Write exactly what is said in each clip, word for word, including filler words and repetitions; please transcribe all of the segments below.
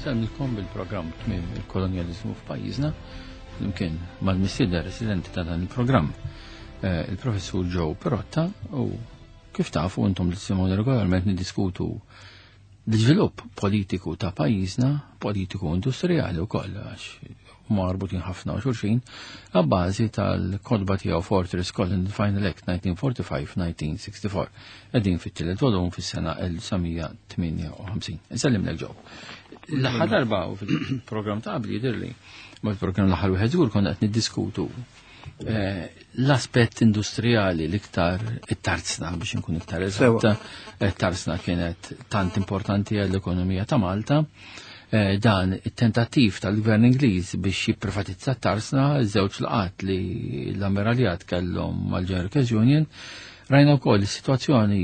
Insellmilkom bil-programm Tmiem il-Kolonjaliżmu f'pajjiżna, flimkien mal-mistieden residenti ta' dan il-programm, eh, il-professur Joe Pirotta, u kif tafu intom li tisimgħu regolarment niddiskutu l-iżvilupp politiku ta' pajjiżna, politiku industrijali wkoll, għax marbutin ħafna u xulxin, għabbażi tal-kotba tiegħu Fortress Colin Final Act elf disa' mija erbgħa u erbgħin-elf disa' mija u sitta u erbgħin. Qegħdin fit-tielet volum fis-sena elf disa' mija tmienja u ħamsin. Insellimlek, Joe. L-aħħar darba u fil-programm ta' qabli jidhirli, ma il-programm l-aħħar wieħed żgur, konna qed niddiskutu eh, l-aspett industrijali, l-iktar it-tarzna, biex nkun iktar eżatta. It-tarzna kienet tant importanti għall-ekonomija ta' Malta. Eh, dan it-tentattiv tal-gvern Ingliż biex jipprivatizza t-tarsna, żewġ laqat li l-ammiraljat kellhom mal-General Workers Union, rajna wkoll is-sitwazzjoni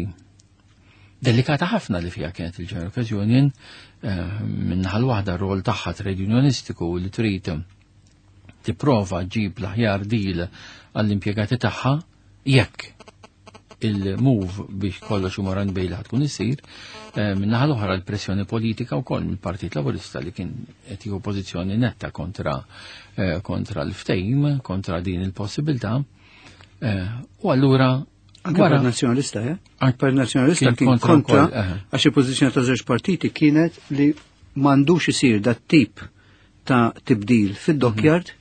delikata ħafna li fija kienet il-General Workers Union, eh, min-naħa l-waħda rol tagħha trade unionistiku li trid tipprova ġib l-aħjar deal għall-impjegati tagħha jekk il-move biex kollox imur għand Bailey tkun isir, eh, min-naħa l-oħra l-pressjoni politika wkoll mill-Partit Laburista li kien qed jieħu pożizzjoni netta kontra eh, kontra l-ftehim, kontra din il-possibilità. Eh, u allura Anke Partit Nazzjonalista, eh? Anke Partit Nazzjonalista kien kien kontra kontra wkoll, eh. għax il-pożizzjoni ta' żewġ partiti kienet li m'għandux isir dat tip ta' tibdil fid-dockyard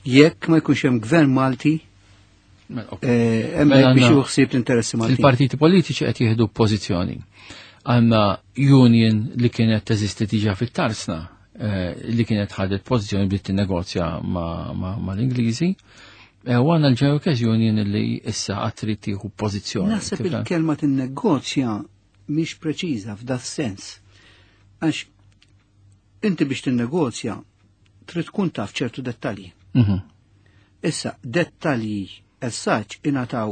jekk ma jkunx hemm gvern Malti Mela, ok. eh, hemmhekk Mela biex għandna- jieħu ħsieb l-interessi Maltin. Il-partiti politiċi qed jieħdu pożizzjoni. Għandna union li kienet teżisti diġà fit-tarsna, eh, li kienet ħadet pożizzjoni bdiet tinnegozja ma' ma, ma l-Ingliżi. Eh, U għandna l-General Workers Union li issa għad trid tieħu pożizzjoni. Naħseb Tifhem? il-kelma tinnegozja mhix preċiża f'da sens. Għax inti biex tinnegozja trid tkun taf ċertu dettalji. Mhm. Issa, dettalji essaċ ingħataw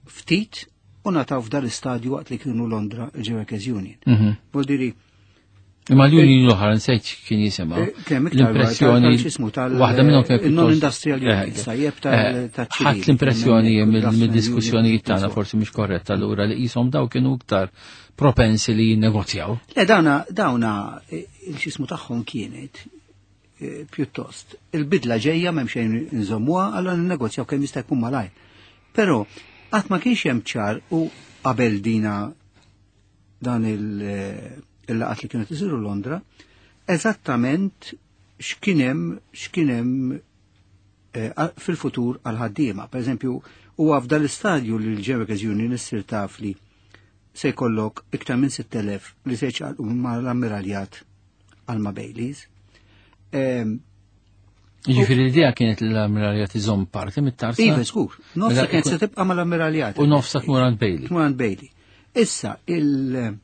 ftit u ngħataw f'dal istadju waqt li kienu Londra il-Workers Union. Mhm. Vuol Imma l-union l-oħra nsejt kien jisimha. Eh, kemm iktar L-impressjoni tal- x'ismu, tal- waħda minnhom kien il-non-industrial Eh, unions, tajjeb tal- eh, tal-ċivil. Ħadd l-impressjoni Mill- mill-diskussjonijiet tagħna, forsi mhix korretta allura, li qishom daw kienu iktar propensi li jinnegozjaw. Le, dawna, dawna, eh, il-xismu tagħhom kienet eh, pjuttost. Il-bidla ġejja, m'hemm xejn nżommuha, allora ninnegozjaw kemm jista' jkun malajr. Però qatt ma kienx hemm ċar u qabel dina dan il- eh, il-laqat li kienet isiru Londra, eżattament x'kien hemm x'kien hemm eh, fil-futur għal ħaddiema. Per eżempju, huwa f'dal istadju li l-Workers Union issir taf li se jkollok iktar minn sitt elef li se jċaqalqu mal-ammiraljat għal ma' Baileys. Ehm, Jiġifieri l-idea kienet li l-ammiraljat iżomm parti mit-tarsna. Iva, żgur, nofsa Mela, kienet se tibqa' mal-ammiraljat. U nofsa tmur għand Bailey. Tmur għand Bailey. Issa, il-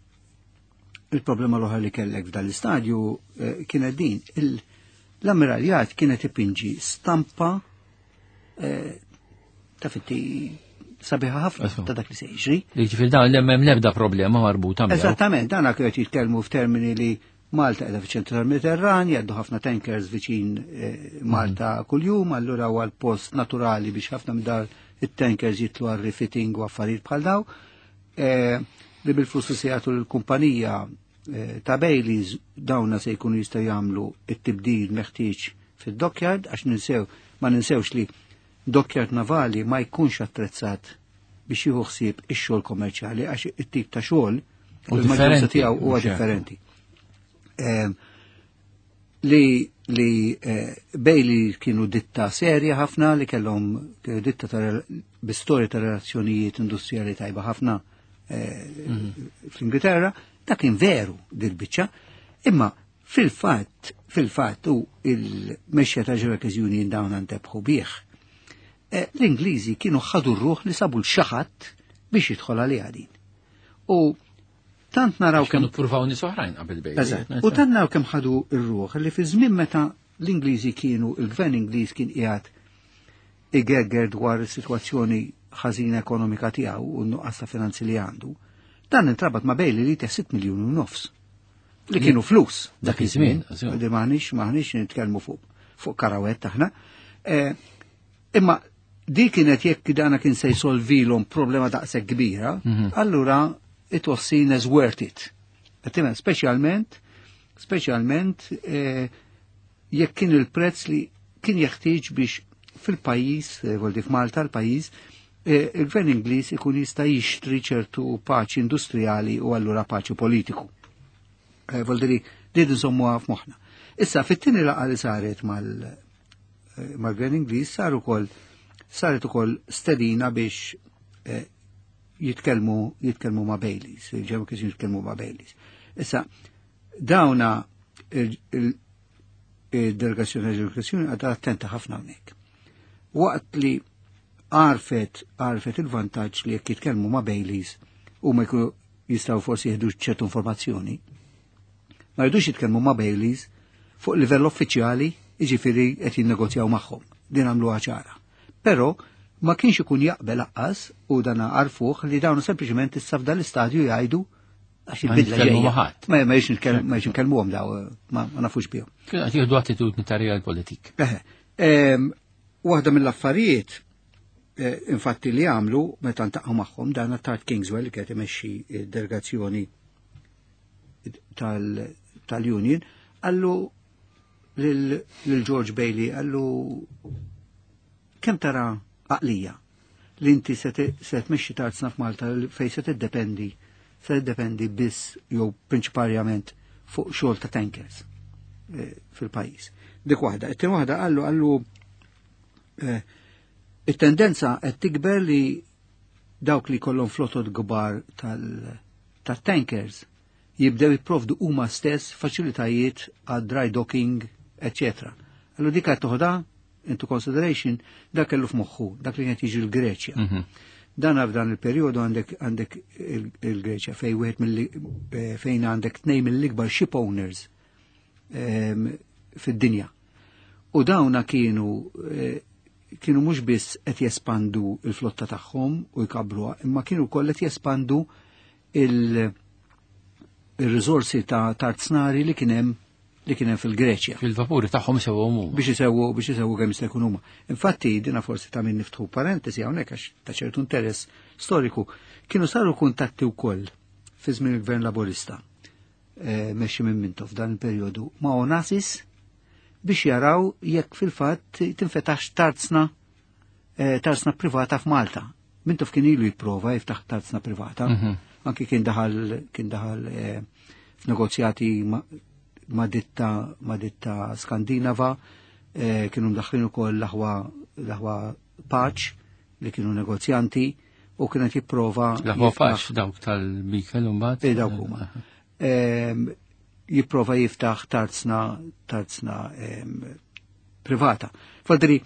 il-problema l-oħra li kellek f'dan l-istadju eh, kienet din. Il- L-ammiraljat kienet ipinġi stampa eh, ta' fitti sabiħa ħafna Eżatt. ta' dak li se jiġri. Li ġifieri dan li hemm l-ebda problema marbuta miegħu. Eżattament, dan qed jitkellmu f'termini li Malta qiegħda fiċ-ċentru tal-Mediterran, jgħaddu ħafna tankers viċin eh, Malta kuljum, allura huwa l-post naturali biex ħafna minn dar it-tankers jitlu għal refitting u affarijiet bħal daw. Eh, li bil-flus li se jagħtu l-kumpanija eh, ta' Baileys dawna se jkunu jistgħu jagħmlu it-tibdil meħtieġ fid-dockyard, għax ninsew ma ninsewx li dockyard navali ma jkunx attrezzat biex jieħu ħsieb ix-xogħol kommerċjali, għax it-tip ta' xogħol U il-maġġoranza differenti, tiegħu huwa mhux hekk. differenti. Em, li li eh, Bailey kienu ditta serja ħafna li kellhom kienu ditta ta' bi storja ta' relazzjonijiet industrijali tajba ħafna eh, fl-Ingilterra, dak kien veru dil-biċċa, imma fil-fatt fil-fatt u il-mexxa ta' Workers Union dawn antebħu bih. Eh, L-Ingliżi kienu ħadu r-ruħ li sabu l-xaħat biex jidħol għaliha din. U tant naraw kemm Kienu pruvaw nies oħrajn qabel Bailey. Eżatt. U tant naraw kemm ħadu r-ruħ li fi żmien meta l-Ingliżi kienu, il-gvern Ingliż kien qiegħed igerger dwar is-sitwazzjoni ħażina ekonomika tiegħu u n-nuqqas ta' finanzi li għandu, dan intrabat ma' Bailey li sitt miljuni u nofs. Li kienu flus. Dak iż-żmien, Li maħniex maħniex nitkellmu fuq fuq karawett aħna. Eh, Imma di kienet jekk dana kien se jsolvilhom problema daqshekk kbira, Mhm. allura it was seen as worth it. Għattimen, specialment, Speċjalment eh, jekk kien il-prezz li kien jeħtieġ biex fil-pajjiż, eh, voldi f'Malta l-pajjiż, eh, il-gvern Ingliż ikun jista' jixtri ċertu paċi industrijali u allura paċi politiku. Eh, Voldiri, li nżommuha f'moħħna. Issa, fit-tieni laqgħa li saret mal- eh, mal-gvern Ingliż sar ukoll saret ukoll stedina biex eh, jitkellmu jitkellmu ma' Baileys, il-ġew kif jitkellmu ma' Baileys. Issa, dawna il-delegazzjoni tal-ġew għadha attenta ħafna hawnhekk. Waqt li għarfet għarfet il-vantaġġ li jekk jitkellmu ma' Baileys u ma jkunu jistgħu forsi jieħdu ċertu informazzjoni, ma jridux jitkellmu ma' Baileys fuq livell uffiċjali, jiġifieri qed jinnegozjaw magħhom. Din għamluha ċara. Però ma kienx ikun jaqbel aqqas u dan għarfuh li dawn sempliċement issa f'dan l-istadju jgħidu għax Ma il-bidla nitkellmu ġejja. ma' ħadd. Ma ma jiex nitkellmu ma jiex nitkellmuhom daw ma ma nafux bihom. Kienu qed jieħdu attitudni ta' real politik. Eħe, em, waħda mill-affarijiet eh, infatti li għamlu meta ntaqgħu magħhom dan Attard Kingswell li kienet imexxi delegazzjoni tal- tal-Union qallu lil lil George Bailey qallu kemm tara għaqlija li inti se te- se tmexxi tarzna f'Malta fej se tiddependi se tiddependi biss jew prinċiparjament fuq xogħol ta' tankers eh, fil-pajjiż. Dik waħda. It-tieni waħda qallu qallu eh, it-tendenza qed tikber li dawk li kollhom flotot kbar tal-tankers jibdew jipprovdu huma stess faċilitajiet għad dry docking, eccetera. Allura dik qed toħodha into consideration dak kellu f'moħħu, dak li qed jiġi l-Greċja. Mhm. Dan f'dan il-perjodu għandek għandek il- il-Greċja fej wieħed mill eh, fejn għandek tnejn mill-ikbar ship owners ehm, fid-dinja. U dawna kienu eh, kienu mhux biss qed jespandu il-flotta tagħhom u jkabruha, imma kienu wkoll qed jespandu il- il-riżorsi ta' tarznari li kien hemm li kien hemm fil-Greċja Fil-vapuri tagħhom sewa huma. biex isewwu biex isewwu kemm jista' jkun huma. Infatti dina forsi ta' min niftħu parentesi hawnhekk għax ta' ċertu interess storiku kienu saru kuntatti wkoll fi żmien il-Gvern Laburista eh, mexxi minn Mintoff f'dan il-perjodu ma' Onassis biex jaraw jekk fil-fatt tinfetax tarzna eh, tarzna privata f'Malta. Mintoff kien ilu jipprova jiftaħ tarzna privata, Mhm. anki kien daħal kien daħal eh, f'negozjati ma' ma' ditta ma' ditta Skandinava, eh, kienu mdaħħlin ukoll l-aħwa l-aħwa Pace li kienu negozjanti u kienet jipprova L-aħwa jiftaħ- Pace dawk tal-Bikel mbagħad. Eh, dawk huma. Em, jipprova jiftaħ tarzna tarzna em, privata. Fadri,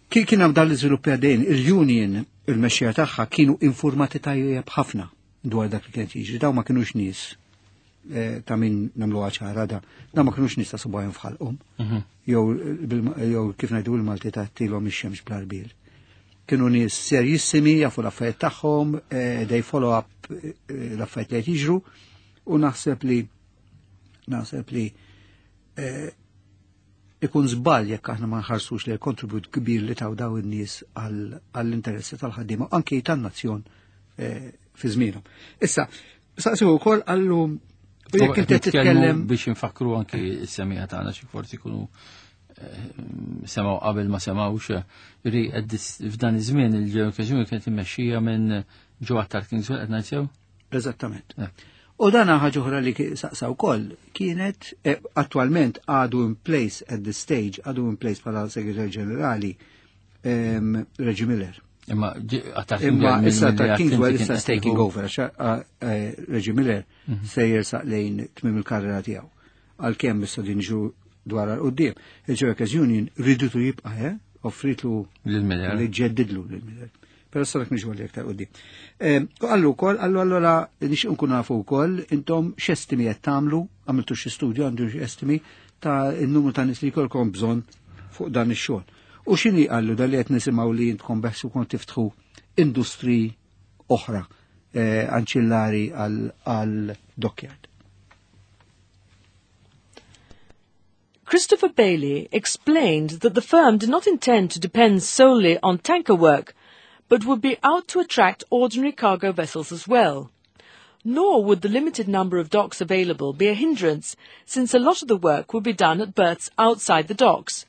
kien kien hemm dan l-iżviluppi għaddejn, il-union, il-mexxija tagħha kienu informati tajjeb ħafna dwar dak li kien jiġri, daw ma kinux nies eh, ta' min nagħmlu ċara da, daw ma kinux nies ta' subgħajhom f'ħalqhom, Mhm. jew bil- jew kif ngħidu il-Malti ta' tilhom ix-xemx bl-arbil. Kienu nies serjissimi, jafu l-affarijiet tagħhom, eh, they follow up eh, l-affarijiet li qed jiġru, u naħseb li naħseb li eh, ikun żball jekk aħna ma nħarsux li l-kontribut kbir li taw daw in-nies għall- għall-interessi tal-ħaddiema anke tan-nazzjon eh, fi żmienhom. Issa, saqsiw ukoll qallu u jekk inti qed titkellem biex infakru anki s-semmiegħa tagħna xi forsi jkunu eh, semgħu qabel ma semgħux ri f'dan iż-żmien il-ġew kienet immexxija minn Joe Attard Kingswell qed ngħid sew? Eżattament. Eh. U dan ħaġa oħra li ki- saqsa wkoll kienet eh, attwalment għadu in place at this stage, għadu in place bħala Segretarju Ġenerali em, Reggie Miller. Imma Attard Imma Kingswell issa mill- ta' mill- Kingswell kien issa qed taking jieħu- over, għax eh, Reggie Miller se jersaq lejn tmim il-karriera tiegħu. Għalkemm issa din ġu dwar għal quddiem. Il-Workers Union ridutu jibqa' eh? Offritlu Lil Miller. li ġeddidlu lil Miller. Però sa dak niġu għal aktar quddiem. Qallu wkoll, qallu allura nixtieq nkun nafu wkoll intom x'estimi qed tagħmlu, għamiltu xi studju għandu xi estimi ta' n-numru ta' nies li jkollkom bżonn fuq dan ix-xogħol. U x'inhi qallu dal li qed nisimgħu li intkom beħsiebkom tiftħu industri oħra eh, anċillari għal dockyard. Christopher Bailey explained that the firm did not intend to depend solely on tanker work, but would be out to attract ordinary cargo vessels as well. Nor would the limited number of docks available be a hindrance, since a lot of the work would be done at berths outside the docks.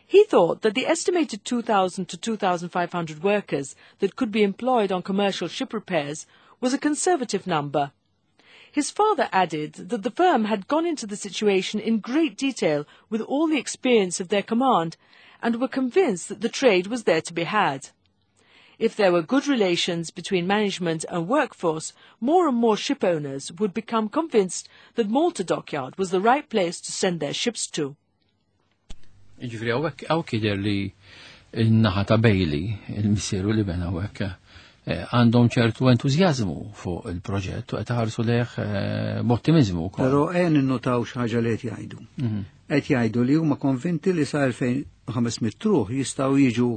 He thought that the estimated two thousand to two thousand five hundred workers that could be employed on commercial ship repairs was a conservative number. His father added that the firm had gone into the situation in great detail with all the experience of their command and were convinced that the trade was there to be had. If there were good relations between management and workforce, more and more ship owners would become convinced that Malta Dockyard was the right place to send their ships to. Ġifieri hawnhekk hawn jidher li n-naħa ta' Bailey, il-missieru li bena hawnhekk, għandhom ċertu entużjażmu fuq il-proġett u qed iħarsu lejh b'ottimizmu wkoll. Però qed ninnotaw xi ħaġa li qed jgħidu. Qed jgħidu li huma konvinti li sa elfejn u ħames mitt ruħ jistgħu jiġu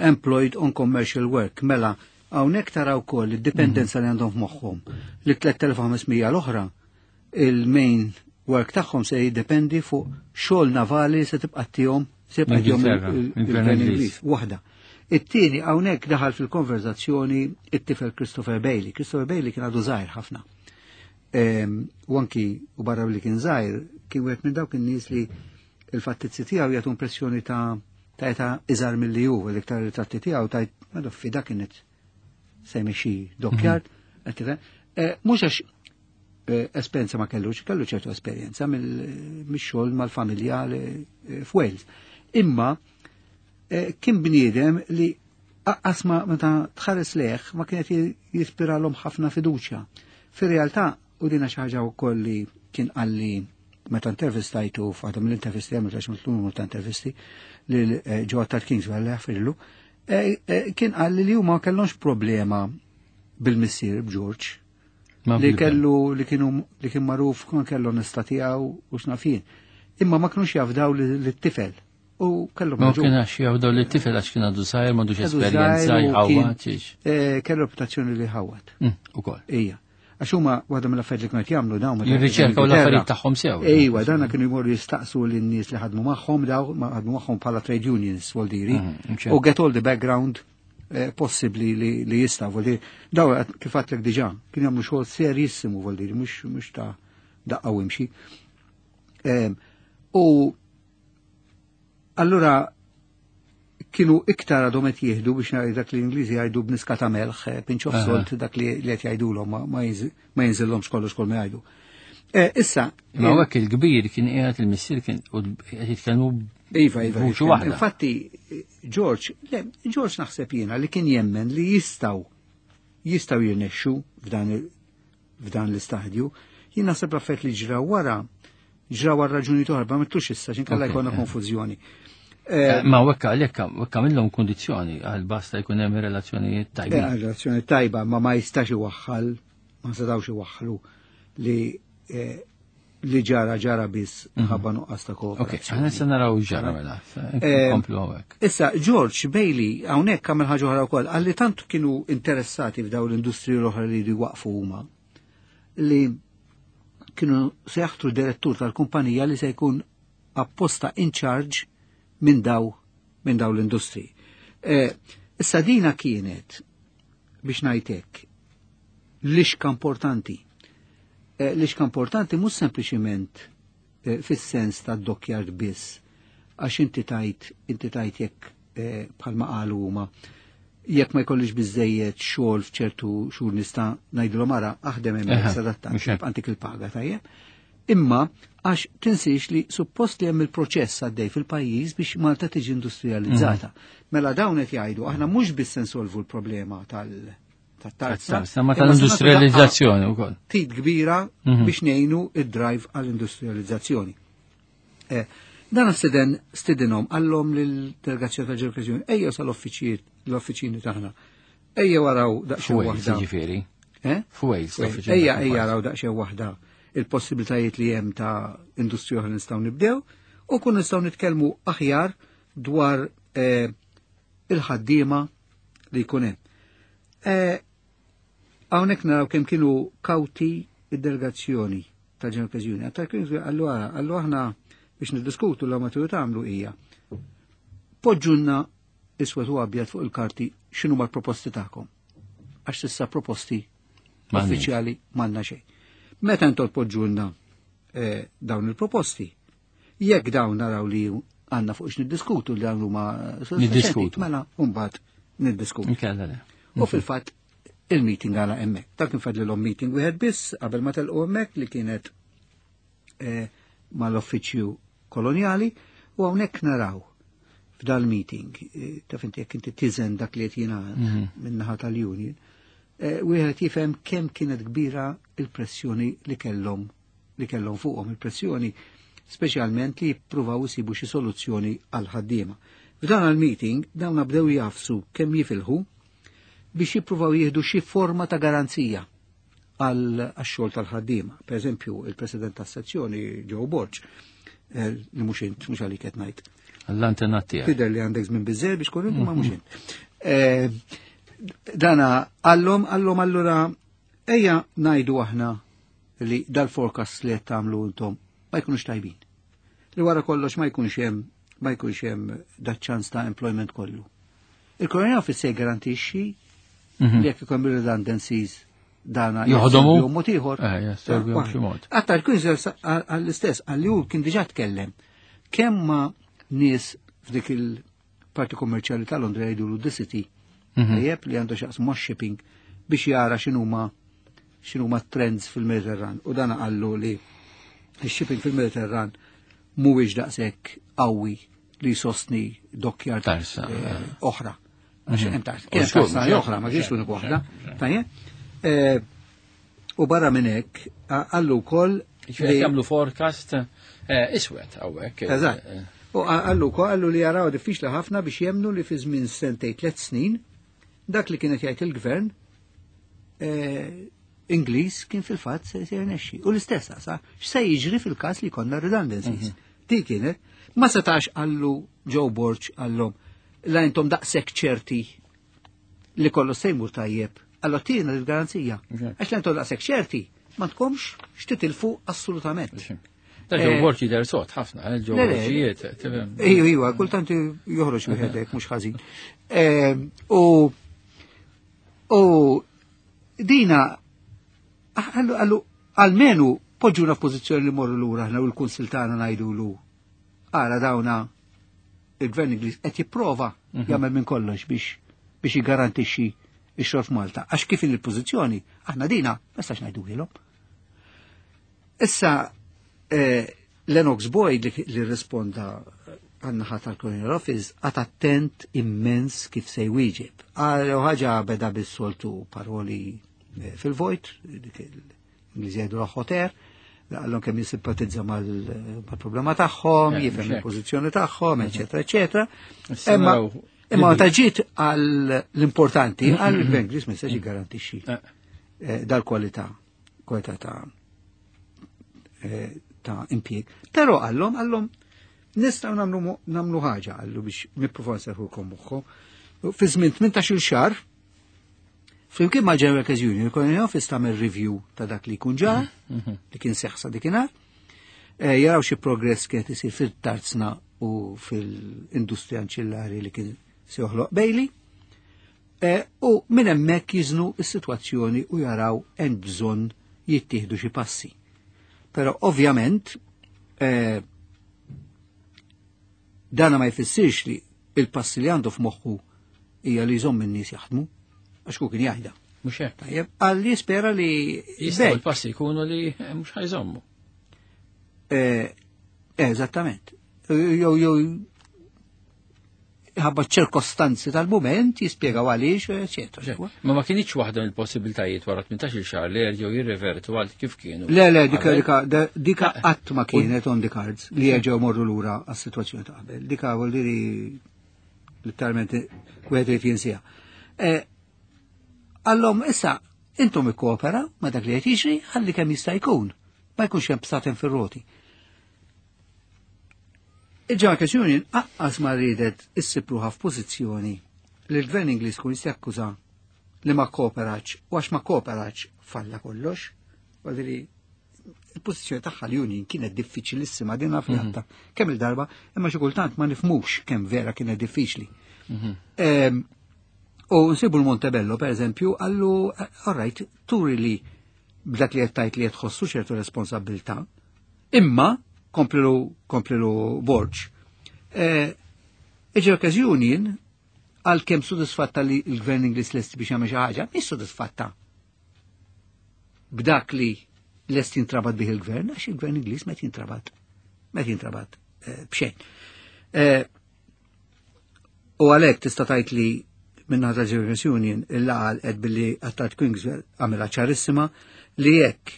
employed on commercial work. Mela hawnhekk taraw ukoll id-dipendenza li għandhom f'moħħhom li tliet elef u ħames mija l-oħra il-main work tagħhom se jiddependi fuq xogħol navali se tibqa' tihom, se jibqa' tihom L-Ingilterra, il-, il-Gvern il-Gvern Ingliż. Ingliż. Waħda. It-tieni hawnhekk daħal fil-konverzazzjoni it-tifel Christopher Bailey. Christopher Bailey kien għadu żgħir ħafna. Ehm, u anki u barra li kien żgħir, kien wieħed minn dawk in-nies li il-fattizzi tiegħu jagħtu impressjoni ta' ta' età iżgħar milli hu, l-iktar ritratti tiegħu tajt ma doffi dak kienet se jmexxi dockyard, qed tifhem? Eh, mhux għax, eh, esperjenza ma kellux, kellu ċertu esperjenza mill-, mix-xogħol mal-familja li, eh, f'Wales. Imma, eh, kien bniedem li aqqas ma meta tħares lejh ma kienet ji-, jispiralhom ħafna fiduċja. Fir-realtà, u dina xi ħaġa wkoll li kien qalli meta intervistajtu f'għadhom l-intervisti għamil għax mitlu numru ta' intervisti lil, eh, Joe Attard Kingswell li jaffrillu, eh, eh, kien qalli li huma ma kellhomx problema bil-missier b'George. Ma Li bil-ben. kellu, li kienu, li kien magħruf kien kellu onestà tiegħu u x'nafien. Imma ma kinux jafdaw li-, lit-tifel. U kellhom Ma raġun. kien għax jafdaw lit-tifel għax kien għadu żgħir, m'għandux Għadu esperjenza, żgħir u kien, jħawwad, xiex. eh, kellu reputazzjoni li ħawwad. Mm, ukoll. Ija. Għax huma waħda mill-affarijiet li kienu qed jagħmlu dawn meta Jirriċerkaw kienu l-affarijiet tagħhom sew. Ejwa, dana kienu jmorru jistaqsu lin-nies li ħadmu magħhom, daw ma ħadmu magħhom bħala trade unions, vuol diri. Mhm, ċertu. U get all the background, eh, possibbli li, li jista', vuol diri. Daw kif għedtlek diġà, kienu jagħmlu xogħol serissimu, vuol diri, mhux, mhux ta' daqqa u imxi. Em, u allura kienu iktar għadhom qed jieħdu biex ngħid dak li l-Ingliżi jgħidu b'niska ta' melħ, eh, pinch of Aha. salt, dak li, li qed jgħidulhom ma, ma jinż-, ma jinżilhomx kollox kol ma jgħidu. Eh, issa, Ma hawnhekk il-kbir kien qiegħed il-missier kien u qed jitkellmu Iva, iva, b'vuċi iva. waħda. Infatti, George, le, George naħseb jiena li kien jemmen li jistgħu, jistgħu jirnexxu f'dan il-, f'dan l-istadju. Jien naħseb l-affarijiet li ġraw wara, ġraw għal raġuni oħra, ma mitlux issa, x'inkella Ok, jkollna eh. konfużjoni. Eh, ma wekka għalhekk wekka għamilhom kundizzjoni għal basta jkun hemm relazzjonijiet tajbin. Eh, relazzjoni tajba, ma ma jistax iwaħħal, ma setgħux iwaħħlu li, eh, li ġara ġara biss Mhm. ħabba nuqqas ta' Ok, kooperazzjoni. aħna se naraw ġara mela. Eh, Komplu hawnhekk. Issa, George Bailey hawnhekk għamel ħaġa oħra wkoll, għalli tant kienu interessati f'daw l-industriji l-oħra li jridu jwaqfu huma, li kienu se jaħtru direttur tal-kumpanija li se jkun apposta in charge minn daw, minn daw l-industri. Eh, issa dina kienet, biex ngħidlek, lixka importanti. Eh, lixka importanti mhux sempliċiment, eh, fis-sens ta' dockyard biss, għax inti tajt, inti tajt jekk, eh, bħalma qalu huma, jekk ma jkollix biżejjed xogħol f'ċertu xhur nista' ngħidulhom ara aħdem hemmhekk Eħe, sadattant, mhux hekk. għantik il-paga tajjeb. Imma għax tinsiex li suppost li hemm il-proċess għaddej fil-pajjiż biex Malta tiġi industrializzata. Mhm. Mela dawn qed jgħidu aħna mhux biss se nsolvu l-problema tal- tat-tarza, Tat-tarza, ma imma se nagħtu tal-industrializzazzjoni wkoll. tit kbira Mhm. biex ngħinu id-drive għall-industrializzazzjoni. Eh, dan stiden, stidinhom għallhom lill-delegazzjoni tal-ġeografija, ejjew sal-uffiċijiet, l-uffiċini tagħna. Ejjew waraw daqsxejn F'Wales, waħda. jiġifieri. Eh? F'Wales, F'Wales. l-uffiċini Ejja, ta' ejja Wales. raw daqsxejn waħda il-possibilitajiet li hemm ta' industrija oħra nistgħu nibdew u kun nistgħu nitkellmu aħjar dwar, eh, il-ħaddiema li jkun hemm. Eh, hawnhekk naraw kemm kienu kawti id-delegazzjoni tal-Ġenerali Union. Tal-Kings għallu ara, għallu aħna biex niddiskutu l ma tridu tagħmlu hija. Poġġunna iswed u abjad fuq il-karti x'inhu mal-proposti tagħkom. Għax s'issa proposti Uffiċjali m'għandna xejn. Meta intom tpoġġulna eh, dawn il-proposti, jekk dawn naraw li għandna fuq niddiskutu li dawn huma Niddiskutu. Mela mbagħad niddiskutu. Inkella le. U fil-fatt il-meeting għala hemmhekk. Dak kien fadlilhom meeting wieħed biss qabel ma telqu hemmhekk li kienet eh, mal-uffiċċju kolonjali u hawnhekk naraw f'dal-meeting, eh, taf inti jekk inti tiżen dak li qed jingħad min-naħa tal-union, eh, wieħed jifhem kemm kienet kbira il-pressjoni li kellhom li kellhom fuqhom il-pressjoni speċjalment li jippruvaw isibu xi soluzzjoni għal ħaddiema. F'dan il-meeting dawn bdew jafsu kemm jifilħu biex jippruvaw jieħdu xi forma ta' garanzija għal xogħol tal-ħaddiema. Per eżempju, il-president tas-sezzjoni Joe Borg, eh, li mhux int, mhux għalik qed ngħid. Għall-antenat tiegħek. Tidher li għandek żmien biżżejjed biex tkun ma mhux int. Eh, Dana għallhom għallhom allura ejja ngħidu aħna li dal-forecast li qed tagħmlu intom ma jkunux tajbin. Li wara kollox ma jkunx hemm ma jkunx hemm dat-ċans ta' employment kollu. Il-Colonial Office se jgarantixxi li jekk ikun redundancies dana Joħdomu? jassorbihom mod ieħor. Eh, jassorbihom b'xi mod. Għatta l-Queenswell għall-istess, għalli hu kien diġà tkellem. Kemm ma nies f'dik il-parti kommerċjali ta' Londra jgħidu the City, tajjeb li għandu x'jaqsam ma' shipping biex jara x'inhuma x'inhuma trends fil-Mediterran. U dana qallu li il-shipping fil-Mediterran mhuwiex daqshekk qawwi li jsostni dockyard Tarsa, eh, oħra. Għax hemm tars- U kien żgur, tarsa mhux oħra, ma hekk, kienx mhux l-unika hekk, waħda. mhux hekk. Tajjeb? Eh, U barra minn hekk, qallu wkoll Ġifieri jagħmlu forecast eh, iswed hawnhekk. Eżatt. U qallu wkoll qallu li jaraw diffiċli ħafna biex jemnu li fi żmien sentej tliet snin dak li kienet jgħid il-gvern eh, Ingliż kien fil-fatt se se jirnexxi. U l-istess sa x'se jiġri fil-każ li konna redundancies. Di kienet ma setax qallu Joe Borg qallhom la intom daqshekk ċerti li kollu se jmur tajjeb. Allora tina l-garanzija. Għax la intom daqshekk ċerti ma tkomx x'titilfu assolutament. Da Joe Eh, Borg jidher sod ħafna, eh, Joe Le, le, Borgijiet. tifhem. Iju, iju, kultant joħroġ wieħed hekk mhux ħażin. Eh, U u dina għallu għallu almenu poġġuna f'pożizzjoni li morru lura aħna u l-kunsil tagħna ngħidulu ara dawna il-gvern Ingliż qed jipprova jagħmel minn kollox biex biex jiggarantixxi x-xogħol f'Malta. Għax kif in il-pożizzjoni aħna dina ma nistax ngħiduhielhom. Issa eh, Lennox Boyd li, li risponda għan-naħa tal-Colonial Office għat attent immens kif se jwieġeb. Għal ħaġa beda bis-soltu paroli eh, fil-vojt, dik l-Ingliżi jgħidu hot air, għallhom kemm jissimpatizza mal-problema tagħhom, Eh, jifhem mhux hekk. il-pożizzjoni tagħhom, eċetera, eċetera. Issa Imma naraw imma meta ġiet għal l-importanti, għal il-Gvern Ingliż ma jistax jiggarantixxi Eh. eh, dal-kwalità, kwalità ta' eh, ta' impjieg. Però għallhom għallhom nistgħu nagħmlu nagħmlu ħaġa għallu biex nippruvaw nserħulkom moħħu. Fi żmien tmintax-il xahar, flimkien mal General Workers Union, il-Colonial Office tagħmel review ta' dak li jkun ġara, li kien seħsa dikinhar, eh, jaraw xi progress kienet isir fil-tarzna u fil-industrija anċillari li kien se joħloq Bailey. Eh, u minn hemmhekk jiżnu s-sitwazzjoni u jaraw hemm bżonn jittieħdu xi passi. Però ovvjament eh, dana ma jfissirx li il-passi li għandu f'moħħu hija li jżomm in-nies jaħdmu, għax ku kien jgħidha. Mhux hekk. Tajjeb, għalli jispera li Jistgħu bej. l-passi jkunu li eh, mhux ħajżommu. Eh, Eżattament. Jew jew ħabba ċirkostanzi tal-moment jispjegaw għaliex, eċetera. Ma ma kienx waħda mill-possibiltajiet wara tmintax-il xahar li jerġgħu jirrevertu għal kif kienu. Le, le, dika, Qabel. dika, da- dika qatt ma kienet on the cards li jerġgħu morru lura għas-sitwazzjoni ta' qabel. Dika vuol dire letteralment wieħed irid jinsieha. Eh, Allom issa intom ikkoopera ma dak li qed jiġri ħalli kemm jista' jkun. Ma jkunx hemm bsaten fir-roti. Il-General Workers Union aqqas ma riedet issib ruħha f'pożizzjoni li l-Gvern Ingliż kun jista' jakkuża li ma kooperax u għax ma kooperax falla kollox. Vuol dire il-pożizzjoni tagħha l-Union kienet diffiċilissima din naf li għadta kemm il-darba, imma xi kultant ma nifhmux kemm vera kienet diffiċli. Em, U nsibu l-Montebello, per eżempju, għallu, all right, turi li b'dak li qed li qed tħossu ċertu responsabilità, imma komplilu komplilu Borg. Il-Workers Union għalkemm sodisfatta li l-Gvern Ingliż lest biex jagħmel xi ħaġa, mhix sodisfatta b'dak li lest jintrabat bih il-gvern, għax il-Gvern Ingliż met jintrabat, met jintrabat b'xejn. U għalhekk tista' tgħid li minn ta' Workers Union il-laqal qed billi Attard Kingswell għamilha ċarissima li jekk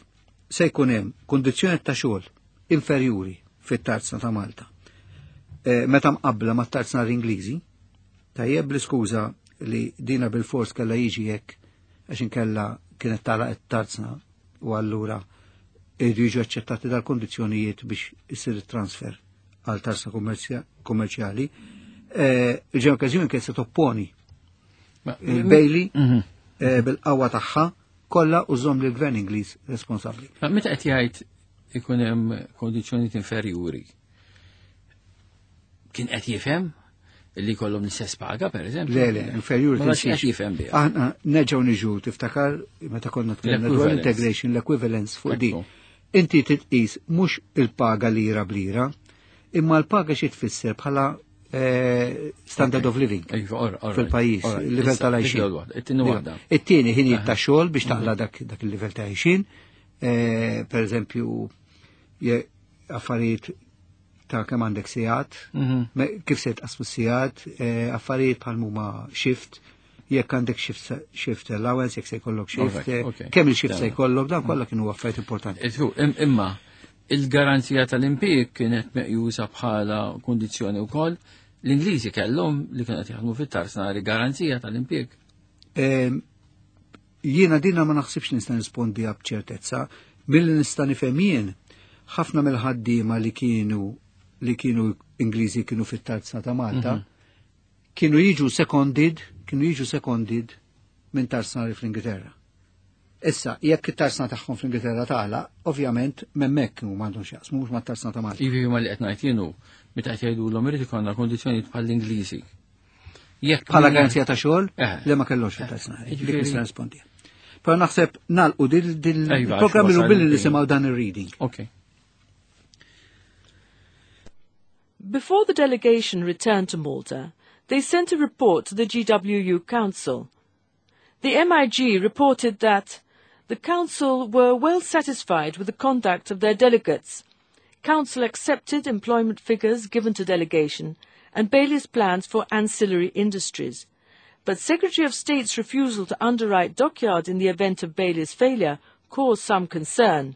se jkun hemm kundizzjoni ta' xogħol inferjuri fit-tarzna ta' Malta. Meta mqabbla mat-tarzna l-Ingliżi, tajjeb bl-iskuża li dina bil-fors kellha jiġi hekk għax inkella kienet tagħlaq it-tarzna u allura jridu jiġu aċċettati dal-kondizzjonijiet biex isir it-transfer għal tarzna kummerċjali. Il-Workers Union kienet se topponi il-Bailey bil-qawwa tagħha kollha u żomm lill-Gvern Ingliż responsabbli. Ma meta qed jgħid ikun hemm kondizzjonijiet inferjuri, kien qed jifhem li kollhom l-istess paga, per eżempju? Le, le, inferjuri. Ma qed jifhem biha. Aħna nerġgħu niġu tiftakar meta konna tkellimna dwar integration, l-equivalence fuq din. Inti titqis mhux il-paga lira blira, imma l-paga xi tfisser bħala standard of living fil-pajjiż, il-livell tal-għajxin. It-tieni ħinijiet ta' xogħol biex taqla dak il-livell ta' għajxin, per eżempju affarijiet ta' kemm għandek sigħat, kif se tqasmu sigħat, affarijiet bħal huma shift, jekk għandek shift allowance, jekk se jkollok shift, kemm il-shift se jkollok, dan kollha kienu affarijiet importanti. Imma il-garanzija tal-impjieg kienet meqjusa bħala kondizzjoni wkoll. L-Ingliżi kellhom li kienet jaħdmu fit-tarzna garanzija tal-impjieg. Jiena dina ma naħsibx nista' nispondi b'ċertezza, milli nista' nifhem jien ħafna mill-ħaddiema li kienu li kienu Ingliżi kienu fit-tarzna ta' Malta, kienu jiġu seconded, kienu jiġu seconded minn tarzna fl-Ingilterra. Issa, jekk it-tarsna tagħhom fl-Ingilterra tagħlaq, ovvjament m'hemmhekk kienu m'għandhom x'jaqsmu mhux mat-tarsna ta' Malta. Ivi ma li qed ngħid jienu meta qed jgħidulhom irid ikollna kondizzjonijiet bħall-Ingliżi. Jekk bħala garanzija ta' xogħol li ma kellhomx fit-tarsna. Dik nista' nispondi. Però naħseb nagħlqu dil-programm ilu billi nisimgħu dan ir-reading. Okay. Before the delegation returned to Malta, they sent a report to the G W U Council. The M I G reported that the Council were well satisfied with the conduct of their delegates. Council accepted employment figures given to delegation and Bailey's plans for ancillary industries. But Secretary of State's refusal to underwrite dockyard in the event of Bailey's failure caused some concern.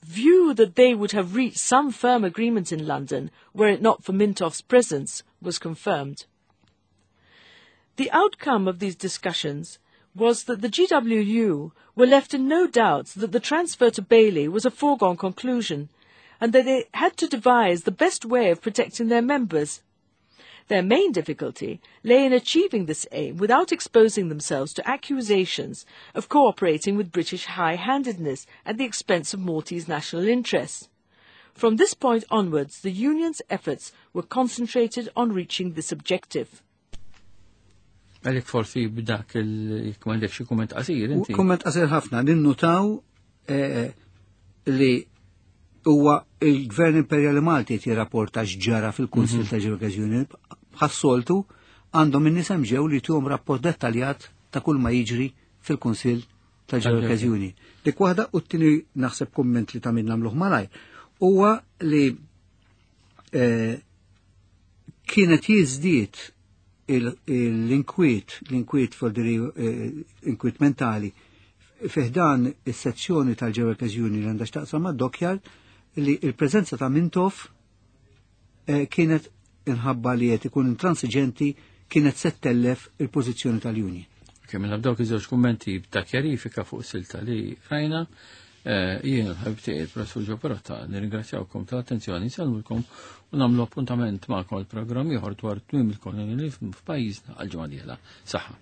View that they would have reached some firm agreement in London, were it not for Mintoff's presence, was confirmed. The outcome of these discussions was that the G W U were left in no doubt that the transfer to Bailey was a foregone conclusion, and that they had to devise the best way of protecting their members. Their main difficulty lay in achieving this aim without exposing themselves to accusations of cooperating with British high-handedness at the expense of Maltese national interests. From this point onwards, the union's efforts were concentrated on reaching this objective. Għalik forsi b'dak il-kmandek xi kumment qasir inti. Kumment qasir ħafna, ninnutaw li huwa il-Gvern Imperjali Malti qed jirrapporta x'ġara fil-Kunsill ta' Workers Union bħas-soltu għandhom in-nies hemm ġew li tuhom rapport dettaljat ta' kull ma jiġri fil-Kunsill ta' Workers Union. Dik waħda u t-tieni naħseb kumment li ta' min nagħmluh malajr huwa li kienet jiżdied l-inkwiet, l-inkwiet fodri inkwiet mentali fiħdan is-sezzjoni tal-Workers Union li għandha x'taqsam mad-dockyard li l-preżenza ta' Mintoff kienet inħabba li qed ikun intransiġenti kienet se ttellef il-pożizzjoni tal-Union. Kemm mela b'dawk iż-żewġ kummenti ta' kjarifika fuq silta li rajna, jien l-ħabib tiegħi il-Professur Joe Perrotta nirringrazzjawkom tal-attenzjoni, nsellmulkom u nagħmlu appuntament magħkom għal programm ieħor dwar tmiem il-kolonializmu f'pajjiżna għal ġimgħa dieħla. Saħħa.